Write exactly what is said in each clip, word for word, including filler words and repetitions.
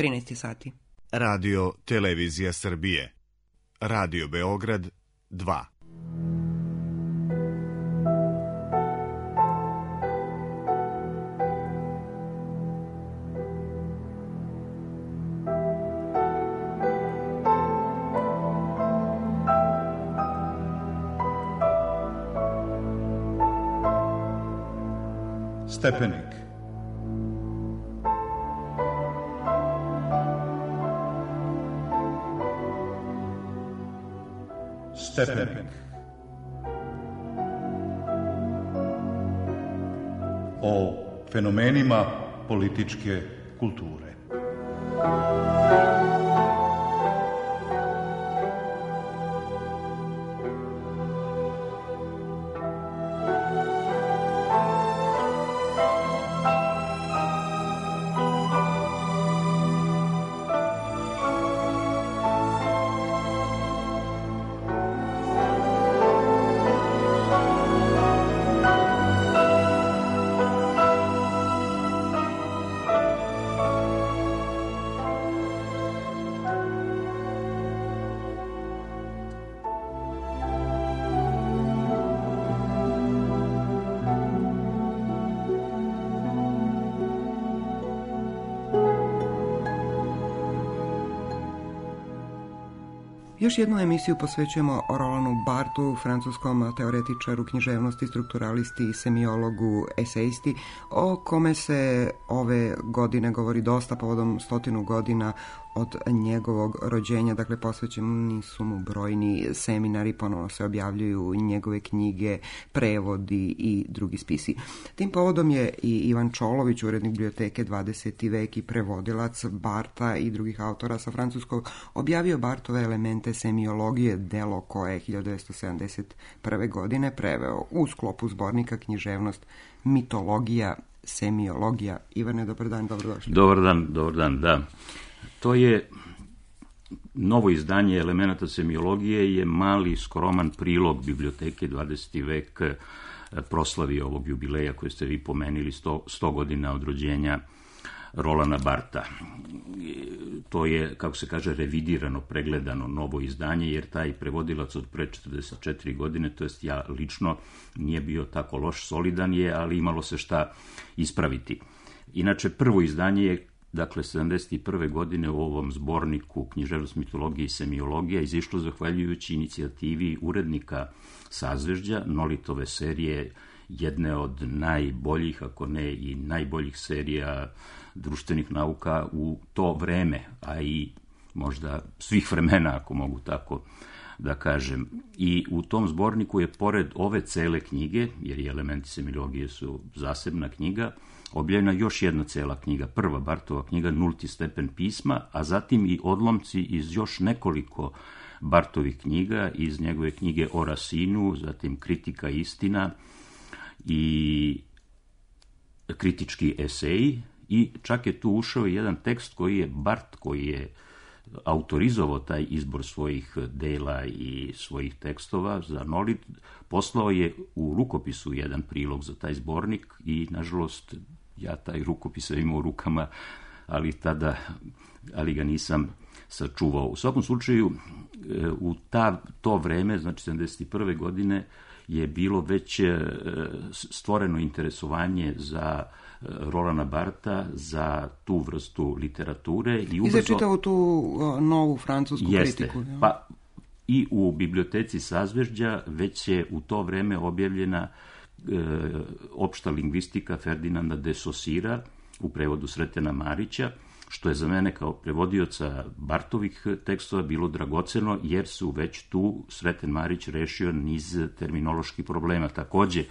trinaest sati. Radio Televizija Srbije. Radio Beograd dva. Stepenik. Stepenik. O fenomenima političke kulture. Još jednu emisiju posvećujemo Rolanu Barthu, francuskom teoretičaru književnosti, strukturalisti, semiologu, esejisti, o kome se ove godine govori dosta povodom stotinu godina od njegovog rođenja. Dakle, posvećeni su mu brojni seminari, ponovno se objavljuju njegove knjige, prevodi i drugi spisi. Tim povodom je i Ivan Čolović, urednik biblioteke dvadeseti vek i prevodilac Bartha i drugih autora sa francuskog, objavio Barthove elemente semiologije, delo koje je hiljadu devetsto sedamdeset prve. godine preveo u sklopu zbornika književnost, mitologija, semiologija. Ivane, dobar dan, dobrodošli. Dobar dan, dobar dan, da. To je novo izdanje elemenata semiologije, je mali, skroman prilog biblioteke dvadeseti vek proslavi ovog jubileja koje ste vi pomenili, sto godina od rođenja Rolana Bartha. To je, kako se kaže, revidirano, pregledano novo izdanje, jer taj prevodilac od pre četrdeset četiri godine, to jest ja lično, nije bio tako loš, solidan je, ali imalo se šta ispraviti. Inače, prvo izdanje je, dakle, sedamdeset prve. godine u ovom zborniku književnost, mitologije i semiologija izišlo zahvaljujući inicijativi urednika Sazvežđa, Nolitove serije, jedne od najboljih, ako ne i najboljih serija društvenih nauka u to vreme, a i možda svih vremena, ako mogu tako da kažem. I u tom zborniku je, pored ove cele knjige, jer i elementi semiologije su zasebna knjiga, objavljena još jedna cela knjiga, prva Barthova knjiga, Nulti stepen pisma, a zatim i odlomci iz još nekoliko Barthovih knjiga, iz njegove knjige o Racinu, zatim Kritika i istina i kritički eseji, i čak je tu ušao jedan tekst koji je Barth, koji je autorizovao taj izbor svojih dela i svojih tekstova za Nolit, poslao je u rukopisu jedan prilog za taj zbornik i, nažalost, ja taj rukopis sam imao u rukama, ali tada, ali ga nisam sačuvao. U svakom slučaju, u ta, to vreme, znači sedamdeset prve. godine, je bilo već stvoreno interesovanje za Rolana Bartha, za tu vrstu literature. I, ubrzo... I za čitavu tu novu francusku Jeste. kritiku. Ja? Pa i u biblioteci Sazvežđa već je u to vreme objavljena e, opšta lingvistika Ferdinanda de Saussura u prevodu Sretena Marića, što je za mene kao prevodioca Barthovih tekstova bilo dragoceno, jer su već tu Sreten Marić rešio niz terminoloških problema. Takođe,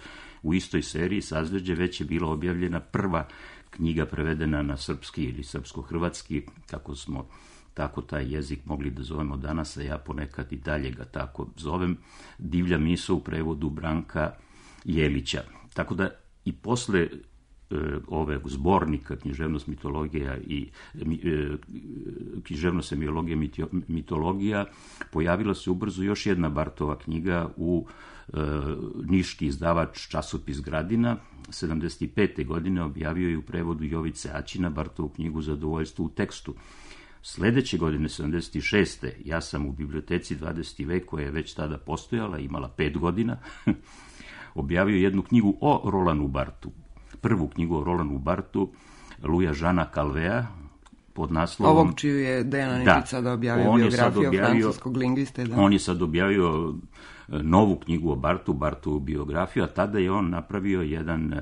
u istoj seriji Sazvežđe već je bila objavljena prva knjiga prevedena na srpski ili srpsko-hrvatski, kako smo tako taj jezik mogli da zovemo danas, a ja ponekad i dalje ga tako zovem, Divlja misao u prevodu Branka Jelića. Tako da i posle ove zbornika književnost mitologija i književnost semiologija mitologija pojavila se ubrzo još jedna Bartova knjiga u e, niški izdavač časopis Gradina. sedamdeset pete. godine objavio je u prevodu Jovice Aćina Bartovu knjigu Zadovoljstvo u tekstu. Sledeće godine, sedamdeset šeste. ja sam u biblioteci dvadeseti vek, koja je već tada postojala, imala pet godina, objavio jednu knjigu o Rolanu Bartu. Prvu knjigu o Rolanu Bartu, Louisa Jeana Calvea, pod naslovom... Ovog čiju je Dejan Aničić sada objavio biografiju objavio, francuskog lingviste. Da. On je sad objavio novu knjigu o Bartu, Bartovu biografiju, a tada je on napravio jedan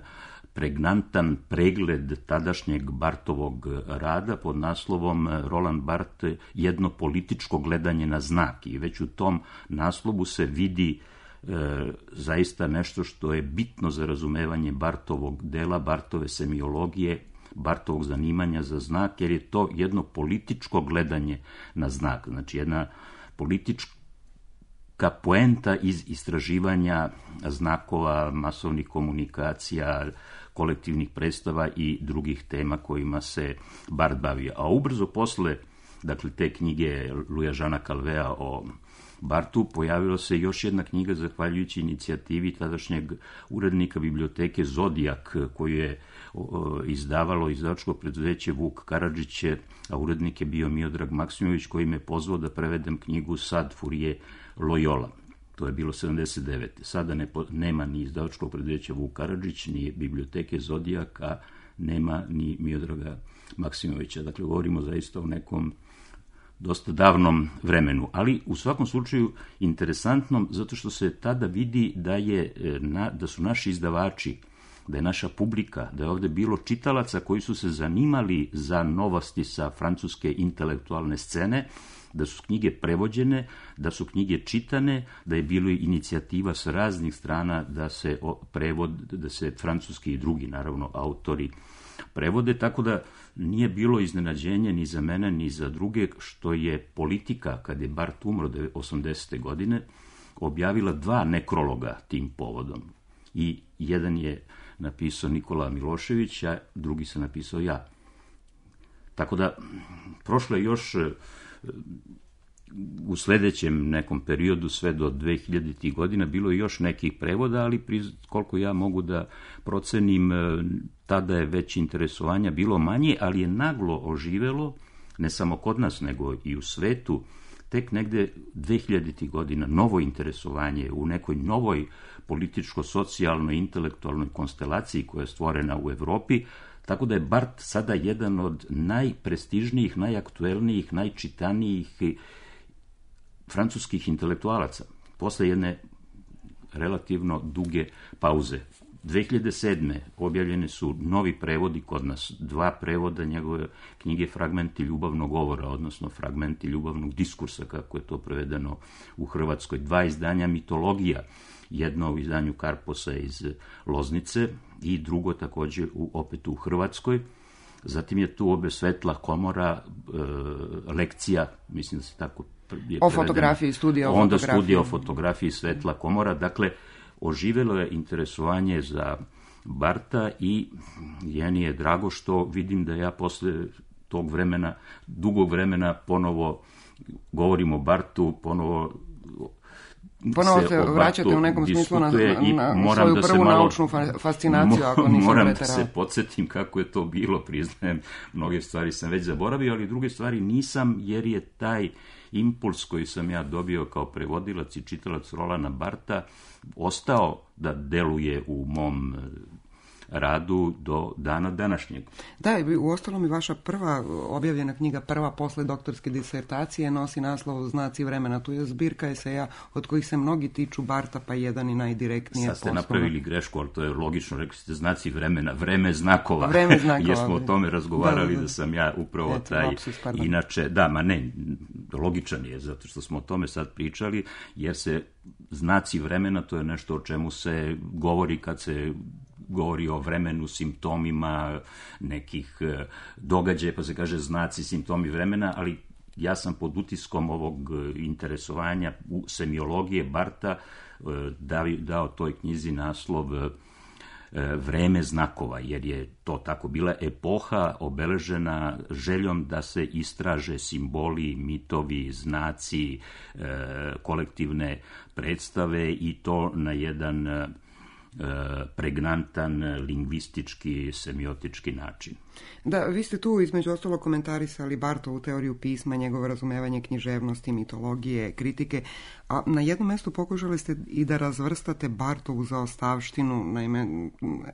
pregnantan pregled tadašnjeg Bartovog rada pod naslovom Roland Bart, jedno političko gledanje na znak. I već u tom naslovu se vidi E, zaista nešto što je bitno za razumevanje Bartovog dela, Bartove semiologije, Bartovog zanimanja za znak, jer je to jedno političko gledanje na znak, znači jedna politička poenta iz istraživanja znakova, masovnih komunikacija, kolektivnih predstava i drugih tema kojima se Bart bavio. A ubrzo posle, dakle, te knjige Louisa Jeana Calvea o Bartu, pojavila se još jedna knjiga zahvaljujući inicijativi tadašnjeg urednika biblioteke Zodijak, koju je o, izdavalo izdavačko preduzeće Vuk Karadžić, a urednik je bio Miodrag Maksimović, koji me pozvao da prevedem knjigu Sad Fourier Loyola. To je bilo sedamdeset devete. Sada ne, nema ni izdavačkog preduzeća Vuk Karadžić, ni biblioteke Zodijak, a nema ni Miodraga Maksimovića. Dakle, govorimo zaista o nekom dosta davnom vremenu, ali u svakom slučaju interesantnom, zato što se tada vidi da, je, da su naši izdavači, da je naša publika, da je ovde bilo čitalaca koji su se zanimali za novosti sa francuske intelektualne scene, da su knjige prevođene, da su knjige čitane, da je bilo inicijativa sa raznih strana da se prevod, da se francuski i drugi, naravno, autori prevode, tako da nije bilo iznenađenje ni za mene, ni za druge, što je Politika, kad je Bart umro osamdesete. godine, objavila dva nekrologa tim povodom. I jedan je napisao Nikola Milošević, a drugi sam napisao ja. Tako da, prošlo je još u sledećem nekom periodu, sve do dve hiljaditih. godina, bilo je još nekih prevoda, ali koliko ja mogu da procenim, tada je već interesovanja bilo manje, ali je naglo oživelo, ne samo kod nas, nego i u svetu, tek negde dve hiljaditih. godina, novo interesovanje u nekoj novoj političko-socijalnoj, intelektualnoj konstelaciji koja je stvorena u Evropi, tako da je Bart sada jedan od najprestižnijih, najaktuelnijih, najčitanijih francuskih intelektualaca, posle jedne relativno duge pauze. dve hiljade sedme. objavljene su novi prevodi kod nas, dva prevoda njegove knjige Fragmenti ljubavnog govora, odnosno Fragmenti ljubavnog diskursa, kako je to prevedeno u Hrvatskoj, dva izdanja mitologija, jedno u izdanju Karposa iz Loznice i drugo takođe u, opet u Hrvatskoj. Zatim je tu obe Svetla komora, e, lekcija, mislim da se tako je o fotografiji, studija o onda fotografiji. Onda studija o fotografiji Svetla komora, dakle, oživelo je interesovanje za Barta i jeni je drago što vidim da ja posle tog vremena, dugog vremena, ponovo govorim o Bartu, ponovo Ponovo se, se vraćate u nekom smislu na, na, na svoju da prvu malo, naučnu fascinaciju, ako nisam moram preterao. Moram da se podsjetim kako je to bilo, priznajem, mnoge stvari sam već zaboravio, ali druge stvari nisam, jer je taj impuls koji sam ja dobio kao prevodilac i čitalac Rolana Barta ostao da deluje u mom radu do dana današnjeg. Da, u ostalom i vaša prva objavljena knjiga, prva posle doktorske disertacije, nosi naslov Znaci vremena. Tu je zbirka eseja od kojih se mnogi tiču Barta, pa jedan i najdirektnije. Sad ste napravili grešku, ali to je logično, rekli ste Znaci vremena, vreme znakova. Vreme znakova. Jer smo o tome razgovarali, da, da, da. da sam ja upravo Eto, taj, lapsus, inače, da, ma ne, logičan je, zato što smo o tome sad pričali, jer se znaci vremena, to je nešto o čemu se govori kad se govori o vremenu, simptomima nekih događaja, pa se kaže znaci, simptomi vremena, ali ja sam pod utiskom ovog interesovanja u semiologije Barta dao toj knjizi naslov vreme znakova, jer je to tako bila epoha obeležena željom da se istraže simboli, mitovi, znaci, kolektivne predstave i to na jedan pregnantan, lingvistički, semiotički način. Da, vi ste tu između ostalo komentarisali Bartovu teoriju pisma, njegovo razumevanje književnosti, mitologije, kritike, a na jednom mestu pokušali ste i da razvrstate Bartovu zaostavštinu, naime,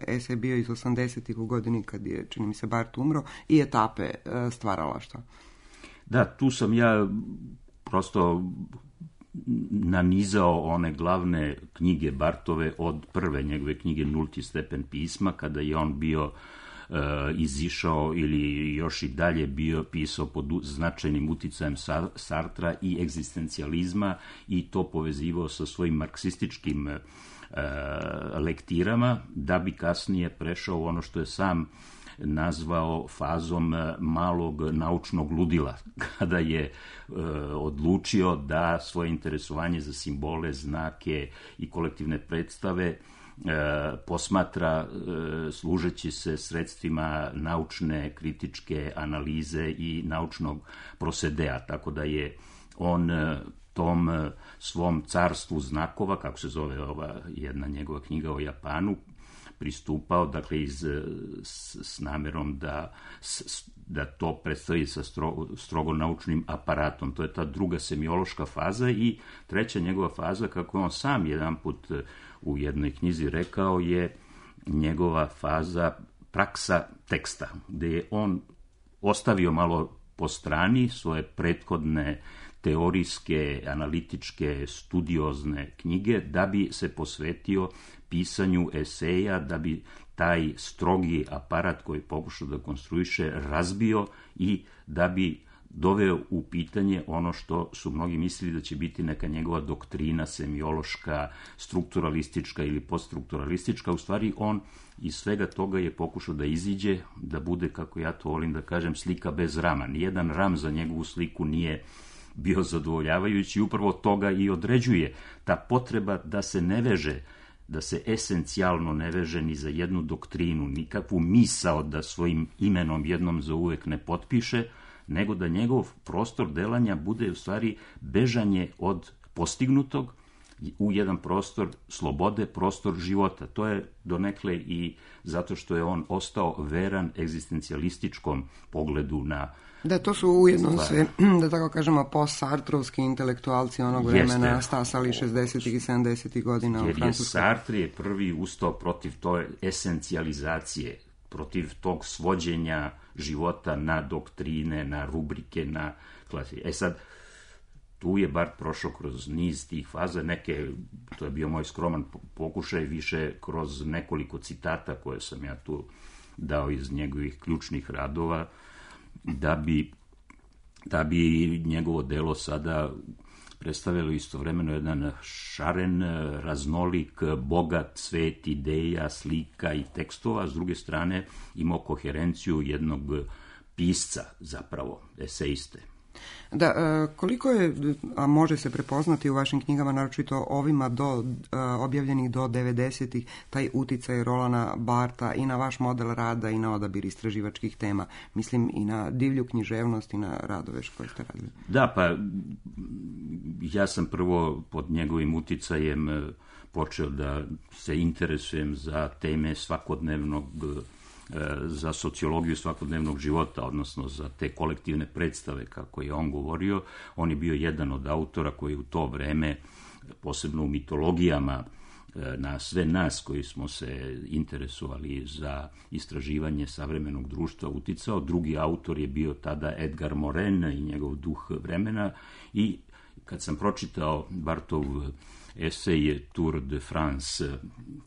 esej je bio iz osamdesetih u godini kad je, čini mi se, Bart umro, i etape stvaralaštva. Da, tu sam ja prosto nanizao one glavne knjige Bartove od prve njegove knjige Nulti stepen pisma, kada je on bio e, izišao ili još i dalje bio pisao pod značajnim uticajem Sartra i egzistencijalizma i to povezivao sa svojim marksističkim e, lektirama, da bi kasnije prešao u ono što je sam nazvao fazom malog naučnog ludila, kada je e, odlučio da svoje interesovanje za simbole, znake i kolektivne predstave e, posmatra e, služeći se sredstvima naučne, kritičke analize i naučnog prosedea, tako da je on e, tom e, svom carstvu znakova, kako se zove ova jedna njegova knjiga o Japanu, pristupao, dakle, iz, s, s namerom da, s, da to predstavi sa strogo, strogo naučnim aparatom. To je ta druga semiološka faza i treća njegova faza, kako je on sam jedan put u jednoj knjizi rekao, je njegova faza praksa teksta, gde je on ostavio malo po strani svoje prethodne teorijske, analitičke, studiozne knjige, da bi se posvetio pisanju eseja, da bi taj strogi aparat koji pokušao da konstruiše razbio i da bi doveo u pitanje ono što su mnogi mislili da će biti neka njegova doktrina semiološka, strukturalistička ili poststrukturalistička. U stvari on iz svega toga je pokušao da iziđe, da bude, kako ja to volim da kažem, slika bez rama. Nijedan ram za njegovu sliku nije bio zadovoljavajući, upravo toga i određuje ta potreba da se ne veže, da se esencijalno ne veže ni za jednu doktrinu, nikakvu misao da svojim imenom jednom zauvek ne potpiše, nego da njegov prostor delanja bude u stvari bežanje od postignutog u jedan prostor slobode, prostor života. To je donekle i zato što je on ostao veran egzistencijalističkom pogledu na... Da, to su ujedno sve, da tako kažemo, post-sartrovski intelektualci onog vremena Jeste. stasali šezdesetih i sedamdesetih godina u Francuskoj. Jer je Sartre je prvi ustao protiv toj esencijalizacije, protiv tog svođenja života na doktrine, na rubrike, na klasi. E sad, tu je Bart prošao kroz niz tih faza, neke, to je bio moj skroman pokušaj, više kroz nekoliko citata koje sam ja tu dao iz njegovih ključnih radova, da bi, da bi njegovo delo sada predstavljalo istovremeno jedan šaren, raznolik, bogat svet ideja, slika i tekstova, s druge strane imao koherenciju jednog pisca, zapravo, eseiste. Da, koliko je, a može se prepoznati u vašim knjigama, naročito ovima do, objavljenih do devedesetih, taj uticaj Rolana Barta i na vaš model rada i na odabir istraživačkih tema, mislim i na divlju književnost i na radove koje ste radili? Da, pa ja sam prvo pod njegovim uticajem počeo da se interesujem za teme svakodnevnog, za sociologiju svakodnevnog života, odnosno za te kolektivne predstave, kako je on govorio. On je bio jedan od autora koji u to vreme, posebno u mitologijama, na sve nas koji smo se interesovali za istraživanje savremenog društva uticao. Drugi autor je bio tada Edgar Morin i njegov Duh vremena, i kad sam pročitao Bartov esej Tour de France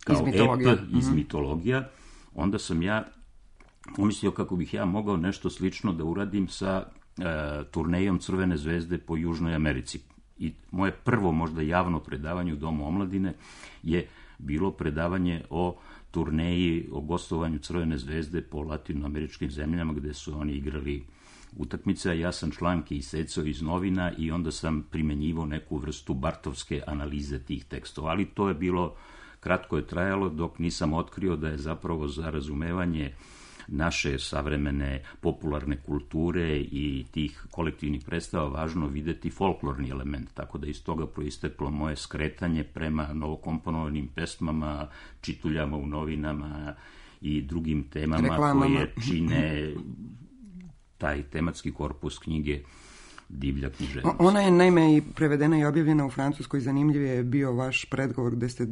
kao iz mitologija. ep iz mitologija, onda sam ja umislio kako bih ja mogao nešto slično da uradim sa e, turnejom Crvene zvezde po Južnoj Americi. I moje prvo možda javno predavanje u Domu omladine je bilo predavanje o turneji, o gostovanju Crvene zvezde po latinoameričkim zemljama gde su oni igrali utakmice, a ja sam članke isecao iz novina i onda sam primenjivao neku vrstu bartovske analize tih tekstova, ali to je bilo kratko je trajalo dok nisam otkrio da je zapravo za razumevanje naše savremene popularne kulture i tih kolektivnih predstava važno videti folklorni element, tako da iz toga proisteklo moje skretanje prema novokomponovanim pesmama, čituljama u novinama i drugim temama reklamama koje čine taj tematski korpus knjige Divlja književnost. Ona je naime i prevedena i objavljena u Francuskoj. Zanimljiv je bio vaš predgovor gde ste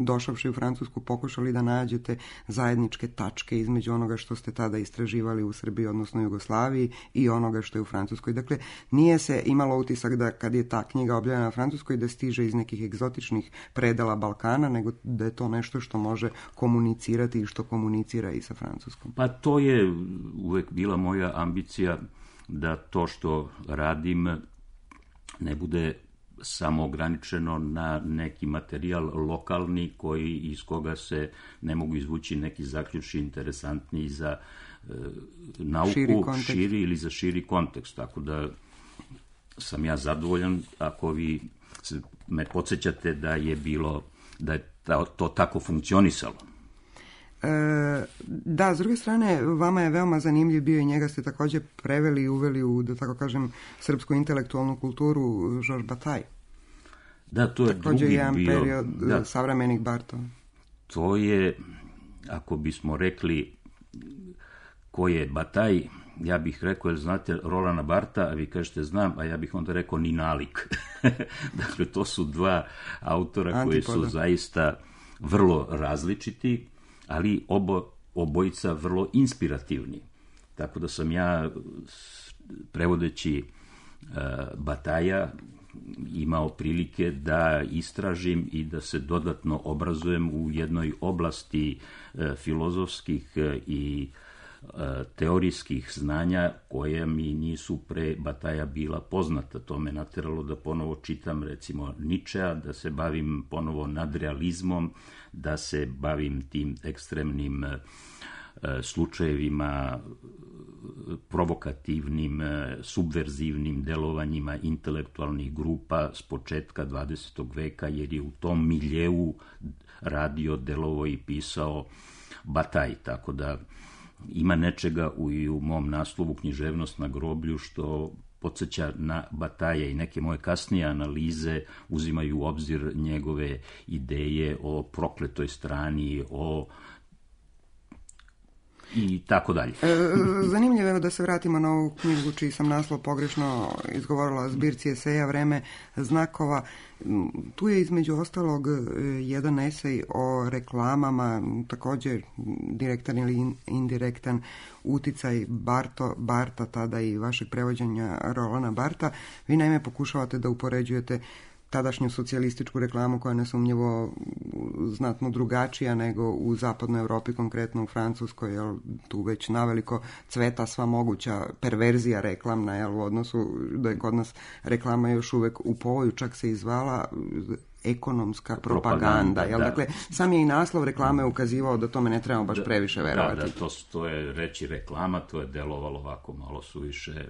došavši u Francusku pokušali da nađete zajedničke tačke između onoga što ste tada istraživali u Srbiji, odnosno Jugoslaviji, i onoga što je u Francuskoj. Dakle, nije se imalo utisak da kad je ta knjiga objavljena u Francuskoj da stiže iz nekih egzotičnih predela Balkana, nego da je to nešto što može komunicirati i što komunicira i sa Francuskom. Pa to je uvek bila moja ambicija, da to što radim ne bude samo ograničeno na neki materijal lokalni koji iz koga se ne mogu izvući neki zaključci interesantni za e, nauku, širi, širi ili za širi kontekst. Tako da sam ja zadovoljan ako vi me podsjećate da je bilo, da je to tako funkcionisalo. Da, s druge strane, vama je veoma zanimljiv bio i njega ste također preveli i uveli u, da tako kažem, srpsku intelektualnu kulturu, Georges Bataille. Da, to je također drugi jedan bio, period da, savremenih Bartova. To je, ako bismo rekli ko je Bataille, ja bih rekao, jer znate Rolanda Barta, a vi kažete znam, a ja bih onda rekao ni nalik. Dakle, to su dva autora Antipoda, koji su zaista vrlo različiti, ali obo, obojica vrlo inspirativni. Tako da sam ja, prevodeći uh, Bataja, imao prilike da istražim i da se dodatno obrazujem u jednoj oblasti uh, filozofskih uh, i uh, teorijskih znanja koje mi nisu pre Bataja bila poznata. To me nateralo da ponovo čitam recimo Ničea, da se bavim ponovo nadrealizmom, da se bavim tim ekstremnim e, slučajevima, provokativnim, e, subverzivnim delovanjima intelektualnih grupa s početka dvadesetog veka, jer je u tom miljeu radio, delovao i pisao Bataille. Tako da ima nečega u, i u mom naslovu Književnost na groblju što podsjeća na Bataille i neke moje kasnije analize uzimaju u obzir njegove ideje o prokletoj strani, o i tako dalje. Zanimljivo je da se vratimo na ovu knjigu čiji sam naslov pogrešno izgovorila, zbirci eseja Vreme znakova. Tu je između ostalog jedan esej o reklamama, također direktan ili indirektan uticaj Barto, Barta, tada i vašeg prevođenja Rolanda Barta. Vi naime pokušavate da upoređujete tadašnju socijalističku reklamu koja je nesumnjivo znatno drugačija nego u zapadnoj Europi, konkretno u Francuskoj, jer tu već naveliko cveta sva moguća perverzija reklamna, jel, u odnosu da je kod nas reklama još uvek u povoju, čak se izvala ekonomska propaganda, propaganda jel? Da. Dakle, sam je i naslov reklame ukazivao da tome ne trebamo baš previše verovati. Da, da, to, to je reći reklama, to je delovalo ovako malo suviše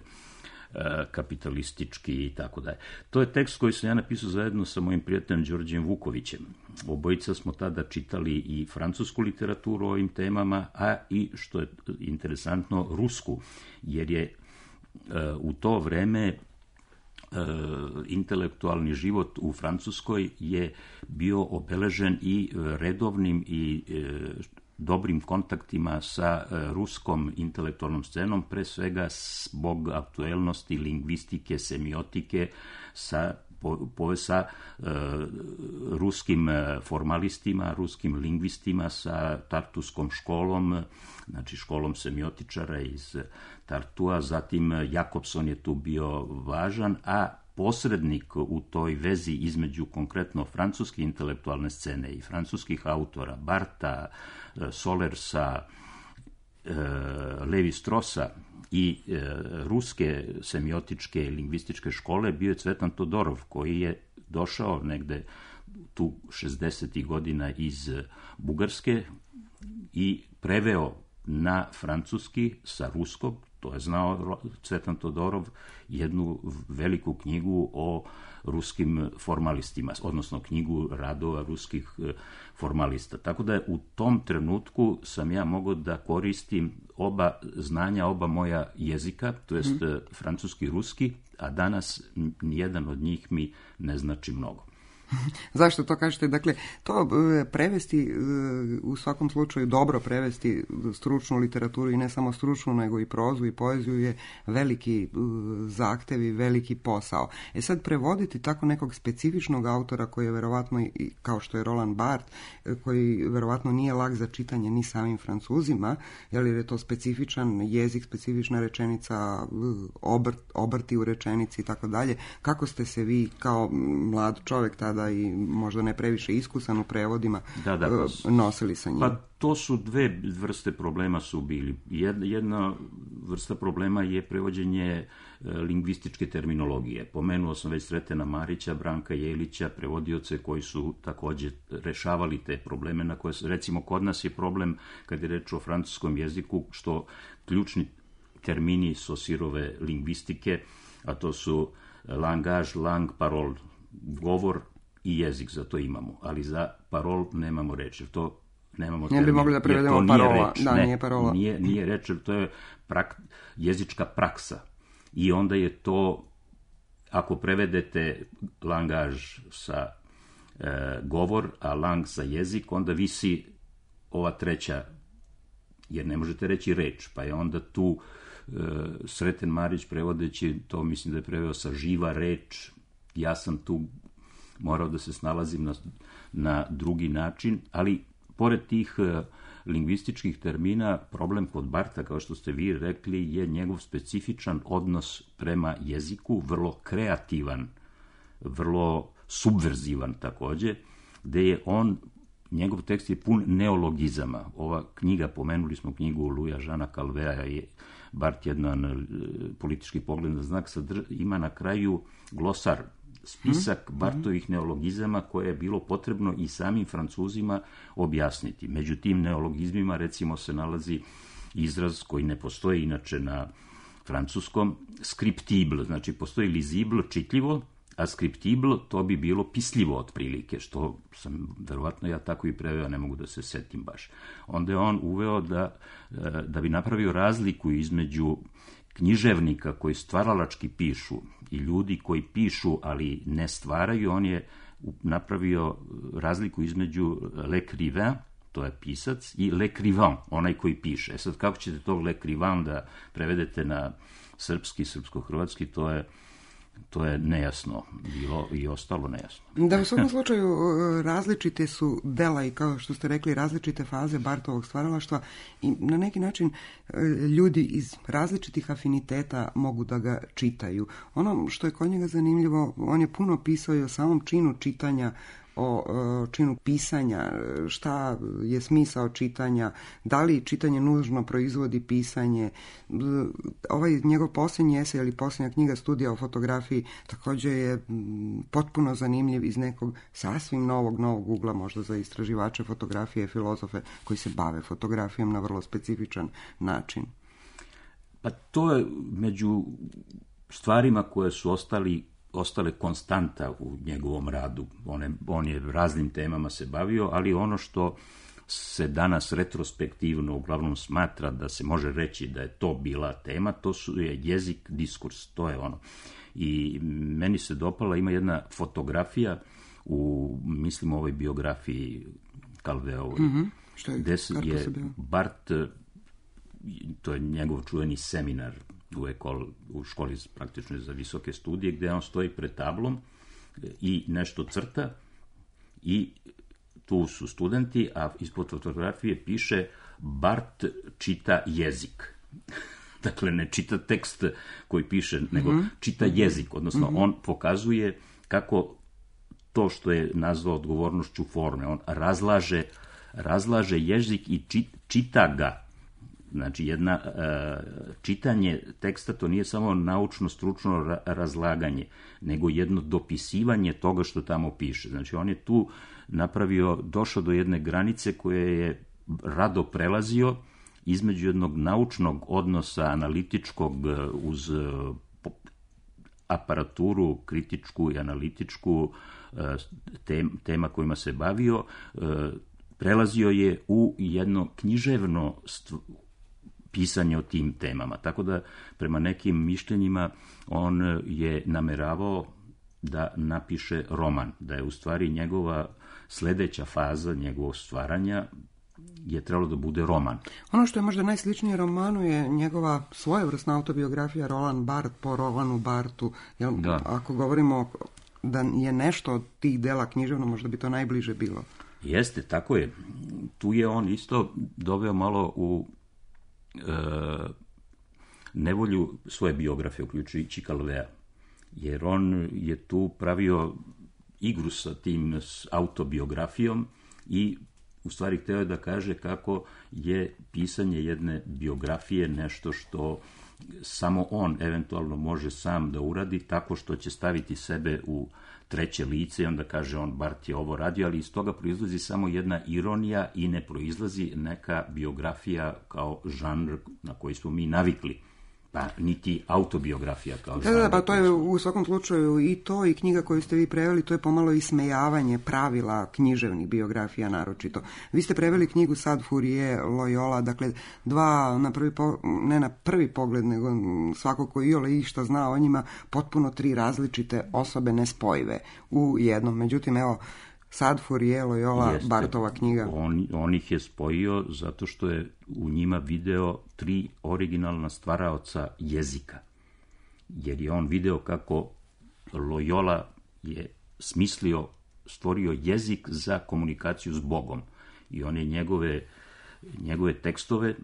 kapitalistički i tako dalje. To je tekst koji sam ja napisao zajedno sa mojim prijateljem Đorđem Vukovićem. Obojica smo tada čitali i francusku literaturu o ovim temama, a i, što je interesantno, rusku, jer je u to vreme intelektualni život u Francuskoj je bio obeležen i redovnim i dobrim kontaktima sa ruskom intelektualnom scenom, pre svega zbog aktuelnosti lingvistike, semiotike, sa, po, po, sa e, ruskim formalistima, ruskim lingvistima, sa Tartuskom školom, znači školom semiotičara iz Tartua, zatim Jakobson je tu bio važan, a posrednik u toj vezi između konkretno francuske intelektualne scene i francuskih autora, Barta, Solersa, Levi Strosa i ruske semiotičke i lingvističke škole bio je Cvetan Todorov, koji je došao negde tu šezdesetih godina iz Bugarske i preveo na francuski sa ruskog, to je znao Cvetan Todorov, jednu veliku knjigu o ruskim formalistima, odnosno knjigu radova ruskih formalista. Tako da u tom trenutku sam ja mogao da koristim oba znanja, oba moja jezika, to jest mm. francuski i ruski, a danas nijedan od njih mi ne znači mnogo. Zašto to kažete? Dakle, to prevesti, u svakom slučaju dobro prevesti stručnu literaturu i ne samo stručnu, nego i prozu i poeziju je veliki zahtev i veliki posao. E sad, prevoditi tako nekog specifičnog autora koji je verovatno, kao što je Roland Barthes, koji verovatno nije lak za čitanje ni samim Francuzima, jer je to specifičan jezik, specifična rečenica, obrt, obrti u rečenici i tako dalje. Kako ste se vi kao mlad čovjek tada i možda ne previše iskusan u prevodima da, da, pa, nosili sa njim? Pa to su dve vrste problema su bili. Jedna vrsta problema je prevođenje lingvističke terminologije. Pomenuo sam već Sretena Marića, Branka Jelića, prevodioce koji su također rešavali te probleme na koje, recimo, kod nas je problem kad je reč o francuskom jeziku, što ključni termini Saussurove lingvistike, a to su langage, lang, parole, govor i jezik, za to imamo, ali za parol nemamo reč, jer to nemamo termin. Ne bi mogli da prevedemo parola, da, ne, nije parola. Nije, nije reč, jer to je prak, jezička praksa. I onda je to, ako prevedete langaž sa e, govor, a lang sa jezik, onda visi ova treća, jer ne možete reći reč, pa je onda tu e, Sreten Marić prevodeći, to mislim da je preveo sa živa reč, ja sam tu morao da se snalazim na, na drugi način, ali pored tih uh, lingvističkih termina, problem kod Bartha, kao što ste vi rekli, je njegov specifičan odnos prema jeziku, vrlo kreativan, vrlo subverzivan također, gde je on, njegov tekst je pun neologizama. Ova knjiga, pomenuli smo knjigu Louisa Jeana Calvea, je Barth jedan politički pogled na znak, sadr, ima na kraju glosar, spisak hmm. Barthovih neologizama koje je bilo potrebno i samim Francuzima objasniti. Među tim neologizmima recimo se nalazi izraz koji ne postoji inače na francuskom, scriptible, znači postoji lisible, čitljivo, a scriptible to bi bilo pisljivo otprilike, što sam verovatno ja tako i preveo, ne mogu da se setim baš. Onda je on uveo da, da bi napravio razliku između književnika koji stvaralački pišu i ljudi koji pišu, ali ne stvaraju, on je napravio razliku između l'écrivain, to je pisac, i l'écrivain, onaj koji piše. E sad, kako ćete tog l'écrivain da prevedete na srpski, srpsko-hrvatski, to je to je nejasno bilo i ostalo nejasno. Da, u svakom slučaju različite su dela i, kao što ste rekli, različite faze Barthovog stvaralaštva i na neki način ljudi iz različitih afiniteta mogu da ga čitaju. Ono što je kod njega zanimljivo, on je puno pisao i o samom činu čitanja, o činu pisanja, šta je smisao čitanja, da li čitanje nužno proizvodi pisanje. Ovaj njegov posljednji esej ili posljednja knjiga Studija o fotografiji također je potpuno zanimljiv iz nekog sasvim novog, novog ugla, možda za istraživače fotografije, filozofe koji se bave fotografijom na vrlo specifičan način. Pa to je među stvarima koje su ostali ostale konstanta u njegovom radu. On je, on je raznim temama se bavio, ali ono što se danas retrospektivno uglavnom smatra da se može reći da je to bila tema, to su je jezik, diskurs, to je ono. I meni se dopala, ima jedna fotografija u, mislim, ovoj biografiji Calveovoj, mm-hmm. Što je, gde je se Barth, to je njegov čuveni seminar u, ekol, u školi praktično za visoke studije, gde on stoji pred tablom i nešto crta i tu su studenti, a ispod fotografije piše Barth čita jezik. Dakle, ne čita tekst koji piše, nego mm-hmm. čita jezik, odnosno mm-hmm. on pokazuje kako to što je nazvao odgovornošću forme, on razlaže, razlaže jezik i čit, čita ga. Znači, jedna, čitanje teksta to nije samo naučno-stručno razlaganje, nego jedno dopisivanje toga što tamo piše. Znači, on je tu napravio, došao do jedne granice koje je rado prelazio između jednog naučnog odnosa, analitičkog, uz aparaturu kritičku i analitičku tema kojima se bavio, prelazio je u jedno književno pisanje o tim temama. Tako da, prema nekim mišljenjima, on je nameravao da napiše roman, da je u stvari njegova sledeća faza njegovog stvaranja je trebalo da bude roman. Ono što je možda najsličnije romanu je njegova svojevrsna autobiografija Roland Barthes po Rolandu Barthu. Jel, da. Ako govorimo da je nešto od tih dela književno, možda bi to najbliže bilo. Jeste, tako je. Tu je on isto doveo malo u e, nevolju svoje biografije, uključujući Calvea, jer on je tu pravio igru sa tim autobiografijom i u stvari hteo je da kaže kako je pisanje jedne biografije nešto što samo on eventualno može sam da uradi, tako što će staviti sebe u treće lice i onda kaže on, Barth je ovo radio, ali iz toga proizlazi samo jedna ironija i ne proizlazi neka biografija kao žanr na koji smo mi navikli. Pa niti autobiografija kao žanr. Da, da, pa to je u svakom slučaju i to i knjiga koju ste vi preveli, to je pomalo ismejavanje pravila književnih biografija naročito. Vi ste preveli knjigu Sad Fourier, Loyola, dakle dva, na prvi po, ne na prvi pogled, nego svako ko iole išta zna o njima, potpuno tri različite osobe nespojive u jednom. Međutim, evo, Sad Fourier, Loyola, Jeste, Barthova knjiga. On, on ih je spojio zato što je u njima video tri originalna stvaraoca jezika. Jer je on video kako Loyola je smislio, stvorio jezik za komunikaciju s Bogom. I on je njegove, njegove tekstove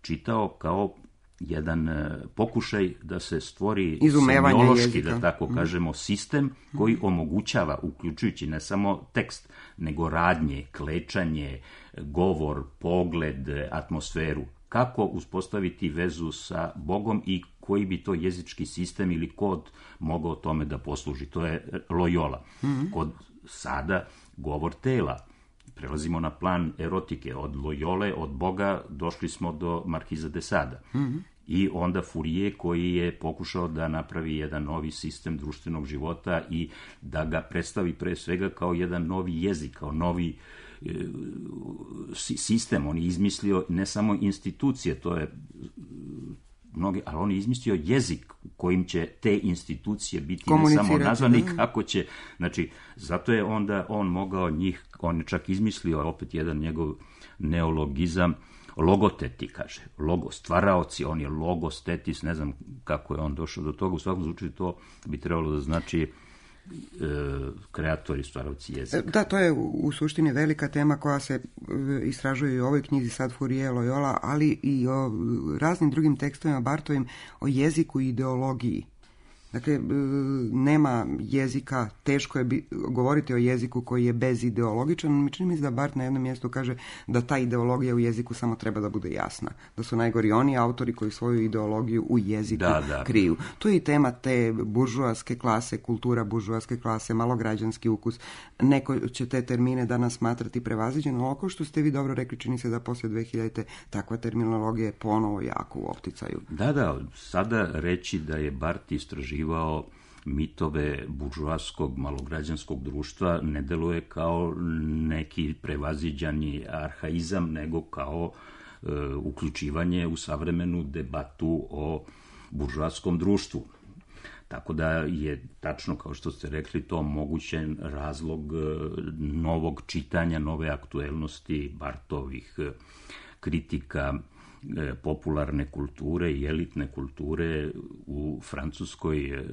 čitao kao jedan pokušaj da se stvori semiološki, da tako kažemo, sistem koji omogućava, uključujući ne samo tekst, nego radnje, klečanje, govor, pogled, atmosferu. Kako uspostaviti vezu sa Bogom i koji bi to jezički sistem ili kod mogao tome da posluži. To je Loyola. Mm-hmm. Kod sada govor tela. Prelazimo na plan erotike. Od Loyole, od Boga, došli smo do Markiza de Sada. Mm-hmm. I onda Fourier koji je pokušao da napravi jedan novi sistem društvenog života i da ga predstavi pre svega kao jedan novi jezik, kao novi e, sistem. On je izmislio ne samo institucije, to je mnogi, ali on je izmislio jezik kojim će te institucije biti ne samo nazvani, kako će, znači, zato je onda on mogao njih, on je čak izmislio opet jedan njegov neologizam, logoteti, kaže, logo, stvaraoci, on je logostetis, ne znam kako je on došao do toga, u svakom slučaju to bi trebalo da znači e, kreatori, stvaraoci jezika. Da, to je u suštini velika tema koja se istražuje i u ovoj knjizi Sad Fourier, Loyola, ali i o raznim drugim tekstovima Barthovim o jeziku i ideologiji. Dakle, nema jezika, teško je bi, govoriti o jeziku koji je bezideologičan. Mi čini mi se da Barth na jednom mjestu kaže da ta ideologija u jeziku samo treba da bude jasna. Da su najgori oni autori koji svoju ideologiju u jeziku da, da. kriju. To je i tema te buržoaske klase, kultura buržoaske klase, malograđanski ukus. Neko će te termine danas smatrati prevaziđeno, ali ako što ste vi dobro rekli, čini se da poslije dve hiljadite takva terminologija je ponovo jako u opticaju. Da, da, sada reći da je Barth istraživao mitove buržoaskog malograđanskog društva ne deluje kao neki prevaziđani arhaizam, nego kao e, uključivanje u savremenu debatu o buržoaskom društvu. Tako da je tačno, kao što ste rekli, to mogućen razlog novog čitanja, nove aktuelnosti Barthovih kritika popularne kulture i elitne kulture u Francuskoj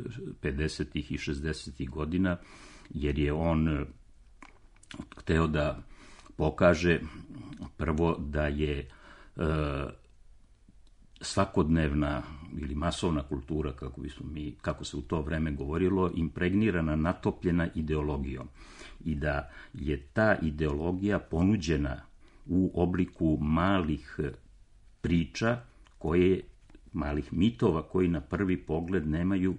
pedesetih i šezdesetih godina, jer je on hteo da pokaže prvo da je e, svakodnevna ili masovna kultura, kako bismo mi, kako se u to vreme govorilo, impregnirana, natopljena ideologijom i da je ta ideologija ponuđena u obliku malih priča, koje, malih mitova koji na prvi pogled nemaju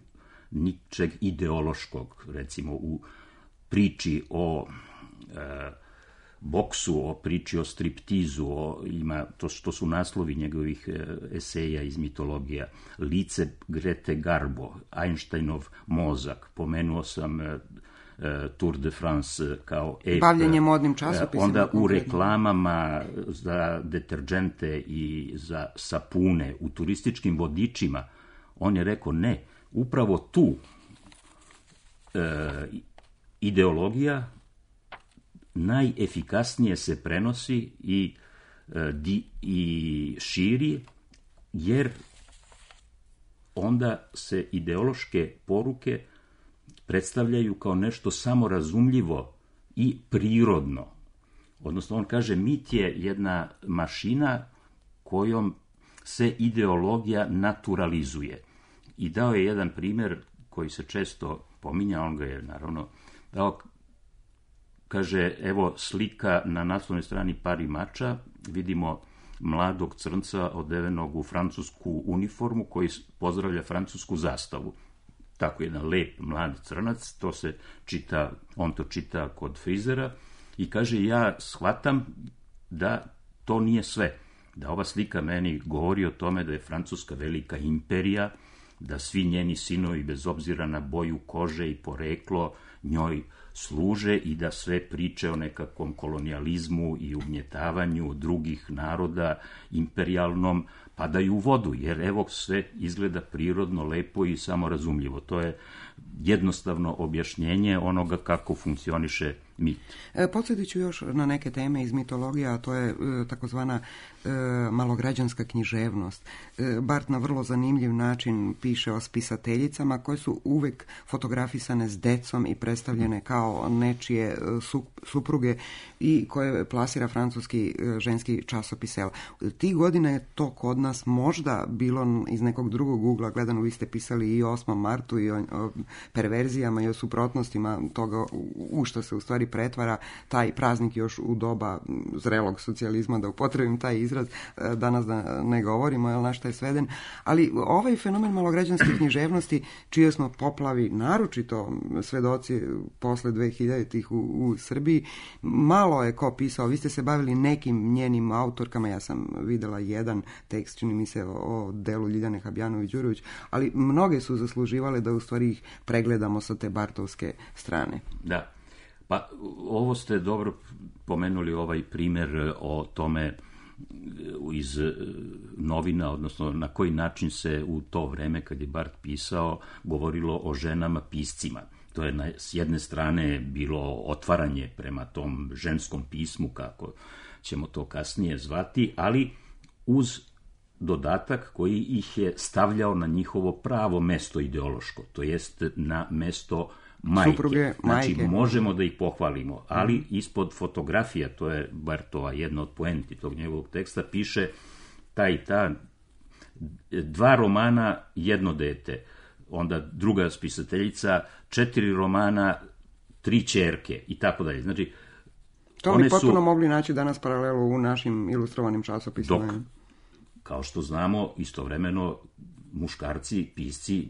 ničeg ideološkog. Recimo u priči o e, boksu, o priči o striptizu, o, ima, to, to su naslovi njegovih eseja iz mitologija. Lice Grete Garbo, Einsteinov mozak, pomenuo sam Tour de France kao ep. Bavljenje modnim časopisima. Onda u reklamama za deterđente i za sapune, u turističkim vodičima, on je rekao ne, upravo tu e, ideologija najefikasnije se prenosi i, e, di, i širi, jer onda se ideološke poruke predstavljaju kao nešto samorazumljivo i prirodno. Odnosno, on kaže, mit je jedna mašina kojom se ideologija naturalizuje. I dao je jedan primjer koji se često pominja, on ga je naravno dao, kaže, evo slika na naslovnoj strani Pari Mača, vidimo mladog crnca odevenog u francusku uniformu koji pozdravlja francusku zastavu. Tako jedan lep mlad crnac, to se čita, on to čita kod frizera i kaže, ja shvatam da to nije sve, da ova slika meni govori o tome da je Francuska velika imperija, da svi njeni sinovi bez obzira na boju kože i poreklo njoj služe i da sve priče o nekakvom kolonijalizmu i ugnjetavanju drugih naroda imperijalnom padaju u vodu, jer evo sve izgleda prirodno, lepo i samorazumljivo. To je jednostavno objašnjenje onoga kako funkcioniše mit. E, podsjetit ću još na neke teme iz mitologije, a to je e, takozvana e, malograđanska književnost. E, Bart na vrlo zanimljiv način piše o spisateljicama koje su uvek fotografisane s decom i predstavljene kao nečije su, supruge i koje plasira francuski e, ženski časopis El. Tih godina je to kod nas možda bilo iz nekog drugog ugla gledano. Vi ste pisali i o osmom martu i o, o perverzijama i o suprotnostima toga u što se u stvari pretvara taj praznik još u doba zrelog socijalizma, da upotrebim taj izraz, danas da ne govorimo, jel, na šta je sveden. Ali ovaj fenomen malograđanske književnosti, čije smo poplavi naročito svedoci posle dvehiljaditih u, u Srbiji, malo je ko pisao. Vi ste se bavili nekim njenim autorkama, ja sam videla jedan tekst, čini mi se, o delu Ljiljane Habjanović-Đurović, ali mnoge su zasluživale da u stvari ih pregledamo sa te bartovske strane. Da. Pa ovo ste dobro pomenuli, ovaj primjer o tome iz novina, odnosno na koji način se u to vreme kad je Bart pisao govorilo o ženama piscima. To je na, s jedne strane bilo otvaranje prema tom ženskom pismu, kako ćemo to kasnije zvati, ali uz dodatak koji ih je stavljao na njihovo pravo mesto ideološko, to jest na mesto majke. Supruge, znači, majke. možemo da ih pohvalimo, ali mm. ispod fotografija, to je Bartova jedna od poenti tog njegovog teksta, piše ta i ta, dva romana, jedno dete. Onda druga spisateljica, četiri romana, tri ćerke i tako dalje. Znači, to oni potpuno su mogli naći danas paralelu u našim ilustrovanim časopisima. Dok, kao što znamo, istovremeno muškarci, pisci,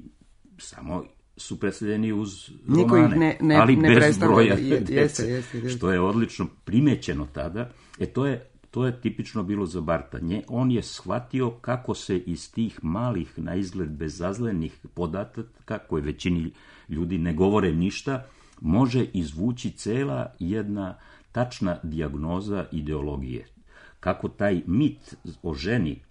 samo su predstavljeni uz niko romane, ne, ne, ali ne bez broja je, dece, jeste, jeste, jeste. što je odlično primećeno tada. E to je, to je tipično bilo za Barta. Nje, on je shvatio kako se iz tih malih, na izgled bezazlenih podataka, koje većini ljudi ne govore ništa, može izvući cela jedna tačna dijagnoza ideologije. Kako taj mit o ženi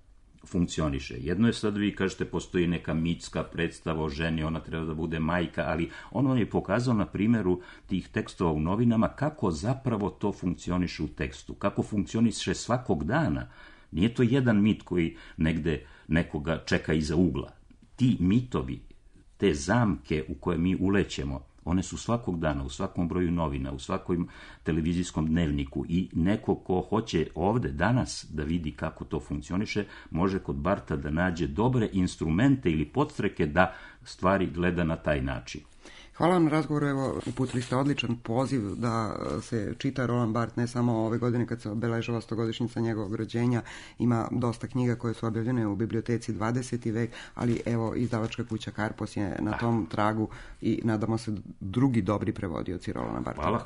funkcioniše. Jedno je sad, vi kažete, postoji neka mitska predstava o ženi, ona treba da bude majka, ali on je pokazao na primjeru tih tekstova u novinama kako zapravo to funkcioniše u tekstu, kako funkcioniše svakog dana. Nije to jedan mit koji negde nekoga čeka iza ugla. Ti mitovi, te zamke u koje mi ulećemo, one su svakog dana, u svakom broju novina, u svakom televizijskom dnevniku i neko ko hoće ovde danas da vidi kako to funkcioniše, može kod Barta da nađe dobre instrumente ili podstreke da stvari gleda na taj način. Hvala vam na razgovoru, evo, uputili ste odličan poziv da se čita Roland Barthes, ne samo ove godine kad se obeležava stogodišnjica njegovog rođenja, ima dosta knjiga koje su objavljene u biblioteci dvadeseti vek, ali evo, izdavačka kuća Karpos je na tom tragu i nadamo se drugi dobri prevodioci Rolanda Bartha. Hvala.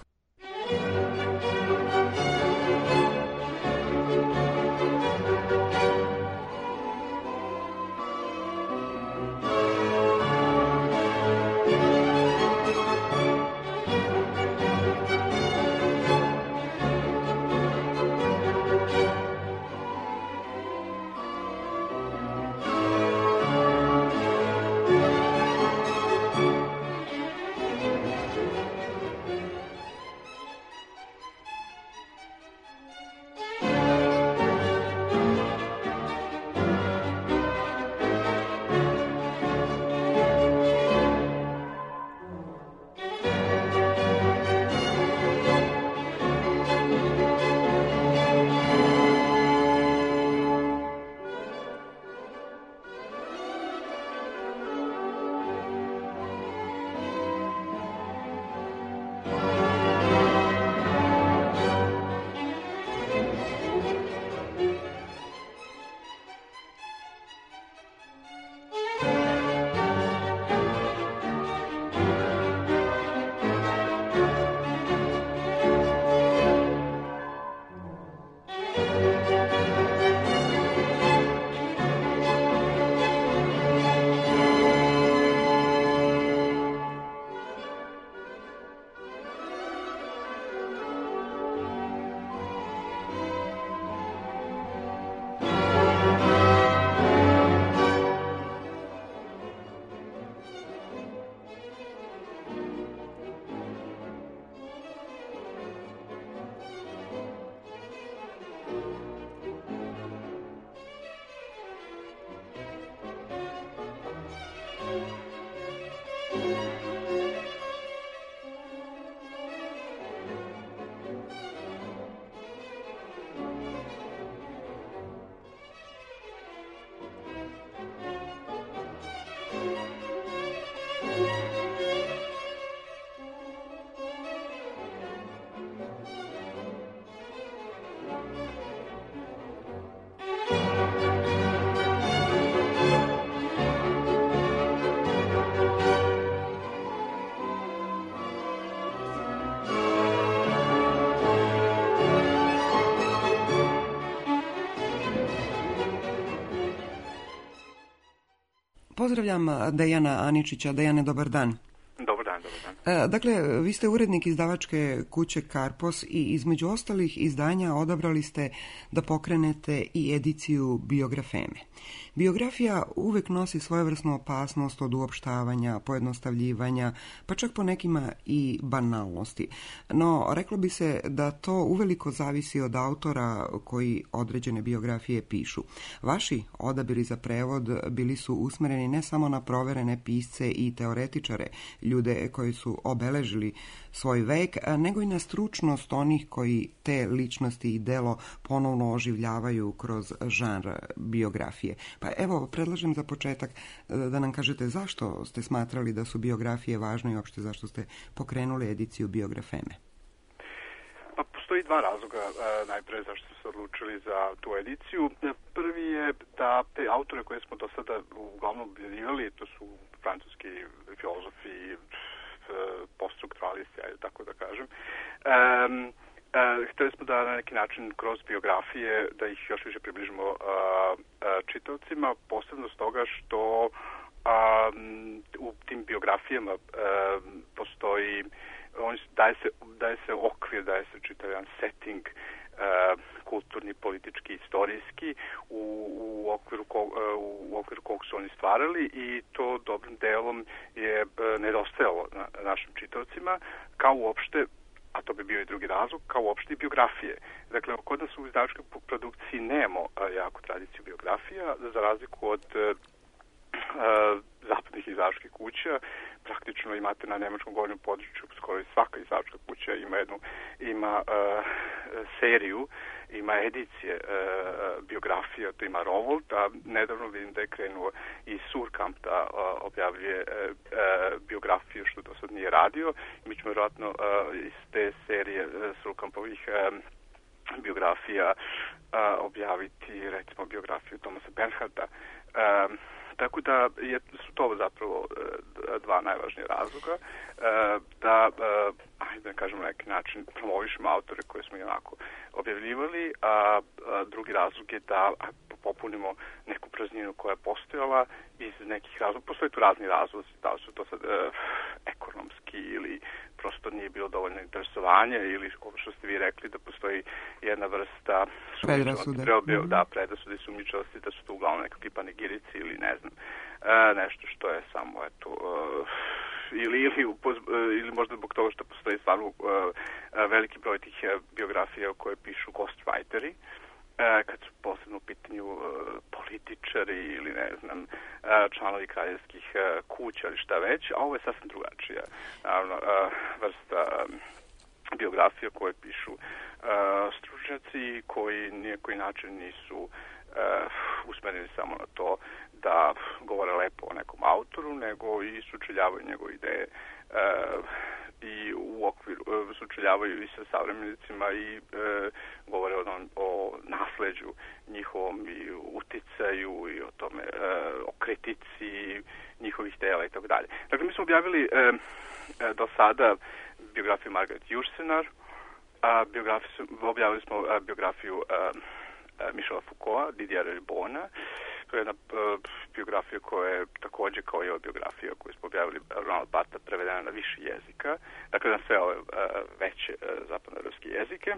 Pozdravljam Dejana Aničića. Dejane, dobar dan. Dobar dan, dobar dan. Dakle, vi ste urednik izdavačke kuće Karpos i između ostalih izdanja odabrali ste da pokrenete i ediciju Biografeme. Biografija uvek nosi svojevrsnu opasnost od uopštavanja, pojednostavljivanja, pa čak po nekima i banalnosti. No, reklo bi se da to uveliko zavisi od autora koji određene biografije pišu. Vaši odabiri za prevod bili su usmereni ne samo na proverene pisce i teoretičare, ljude koji su obeležili svoj vek, nego i na stručnost onih koji te ličnosti i delo ponovno oživljavaju kroz žanr biografije. Pa evo, predlažem za početak da nam kažete zašto ste smatrali da su biografije važne i uopšte zašto ste pokrenuli ediciju Biografeme. Pa postoji dva razloga najpre zašto smo se odlučili za tu ediciju. Prvi je da te autore koje smo do sada uglavnom objavljivali, to su francuski filozofi, poststrukturalisti, ajde tako da kažem, um, uh, hteli smo da na neki način kroz biografije da ih još više približimo uh, uh, čitaocima, posebno stoga što um, u tim biografijama uh, postoji, on, daje, se, daje se okvir, daje se čitav jedan setting, uh, kulturni, politički, istorijski u, u, okviru ko, u okviru kog su oni stvarali i to dobrim delom je nedostajalo na našim čitaocima, kao uopšte, a to bi bio i drugi razlog, kao uopšte i biografije. Dakle, kod nas u izdavačkoj produkciji nemamo jako tradiciju biografija, za razliku od uh, zapadnih izdavačkih kuća. Praktično imate na nemačkom govornom području skoro i svaka izdavačka kuća ima jednu ima uh, seriju, ima edicije uh, biografija, to ima Rowohlt, a nedavno vidim da je krenuo i Suhrkamp da uh, objavljuje uh, uh, biografiju, što do sad nije radio. Mi ćemo vjerojatno uh, iz te serije uh, Suhrkampovih uh, biografija uh, objaviti, recimo, biografiju Thomasa Bernharda. Uh, Tako da je, su to zapravo dva najvažnija razloga da, ajde da kažem na neki način, promovišemo autore koje smo i onako objavljivali, a drugi razlog je da popunimo neku prazninu koja je postojala iz nekih razloga. Postoje tu razni razlozi, da li su to sad ekonomski ili prosto nije bilo dovoljno interesovanje ili ovo što ste vi rekli da postoji jedna vrsta predrasude. Mm-hmm. Da, predrasude i sumnjičavosti, da su to uglavnom nekakvi panegirici ili ne znam, e, nešto što je samo eto, e, ili, ili, upoz, e, ili možda zbog toga što postoji stvarno e, veliki broj tih biografija koje pišu ghostwriteri, E, kad su posebno u pitanju e, političari ili ne znam e, članovi kraljevskih e, kuća ili šta već, a ovo je sasvim drugačija naravno, e, vrsta e, biografija koje pišu e, stručnjaci koji nijekoj način nisu e, usmereni samo na to da govore lepo o nekom autoru, nego i sučeljavaju njegove ideje e, i u okviru sučeljavaju i sa savremenicima i e, govore o, o nasleđu njihovom i uticaju i o tome, e, o kritici njihovih dela i tako dalje. Dakle, mi smo objavili e, e, do sada biografiju Margaret Yourcenar, a biografiju, objavili smo a, biografiju a, a, Michela Foucaulta, Didiera Ribona. To je jedna uh, biografija koja je također kao i ova biografija koju smo objavili Ronald Bartha prevedena na više jezika, dakle na sve ove uh, veće uh, zapadnoevropske jezike.